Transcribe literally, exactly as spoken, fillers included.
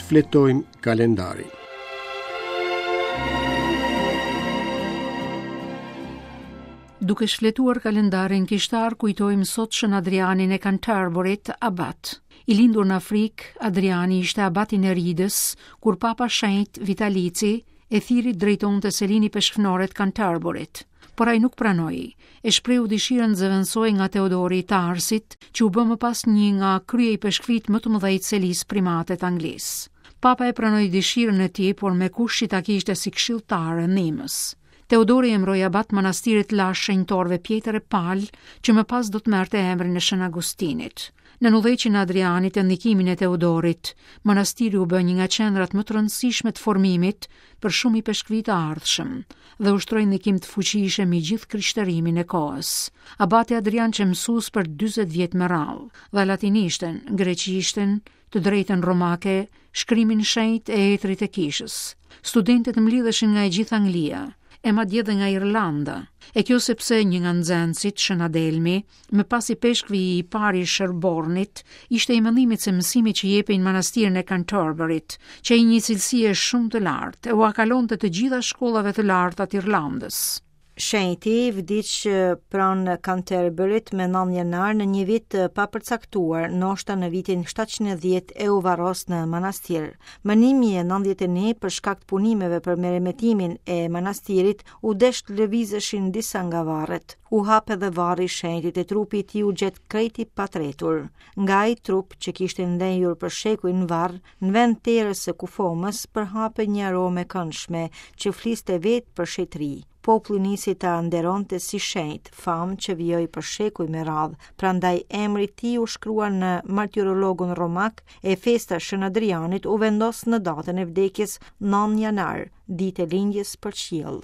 Shfletojmë kalendarin. Duke shfletuar kalendarin kishtar, kujtojmë sot Shën Adrianin e Canterburyt, abat. I lindur në Afrikë, Adriani ishte abat i Neridës, kur Papa Shenjt Vitalici e thirri drejtonte selinë ipeshkvnore të Canterburyt. Por ai nuk pranoi, e shprehu dëshirën të zëvendësohej nga Teodori i Tarsit, që u bë më pas një nga kryeipeshkvit më të mëdhenj të selisë primate të Anglisë. Papa e pranoi dëshirën e tij, por me kusht që ta kishte si këshilltar e ndihmës. Teodori emëroi abat manastirit lash shenjtorëve Pjetër e Pal, që më pas do të merrte emrin e Shën Agustinit. Në udhëheqjen e Adrianit e ndikimin e Teodorit, manastiri u bë një nga qendrat më të rëndësishme të formimit për shumë ipeshkvi të ardhshëm dhe ushtroi ndikim të fuqishëm mbi gjithë krishterimin e kohës. Abati Adrian qe mësues për dyzet vjet me radhë, dha latinishten, greqishten, të drejtën romake, shkrimin shenjt e etrit e kishës. Studentët mblidheshin nga e gjithë Anglia, e madje edhe nga Irlanda. E kjo sepse një nga nxënësit, Shën Adelmi, më pas ipeshkvi i parë i Sherbornit, ishte i mendimit se mësimi që jepej në manastirin e Canterburyt, që i një cilësie shumë të lartë, e ua kalonte të gjitha shkollave të larta të Irlandës. Shenjti vdiq pranë Canterburyt me nëntë janar në një vit të papërcaktuar, ndoshta në vitin shtatëqind e dhjetë e u varros në manastir. Më një mijë e nëntëdhjetë e një, për shkak të punimeve për meremetimin e manastirit, u desh të lëvizeshin disa nga varret. U hap edhe varri i shenjtit e trupi i tij u gjet krejt i patretur. Nga ai trup që kishte ndenjur për shekuj në varr, në vend terës së kufomës përhapej një aromë e këndshme që fliste vetë për shetëri. Populli nisi ta nderonte si shenjt, famë që vijoi për shekuj me radhë, prandaj emri i tij u shkrua në martirologun romak e festa Shën Adrianit u vendos në datën e vdekjes nëntë janar, ditë e lindjes për qiell.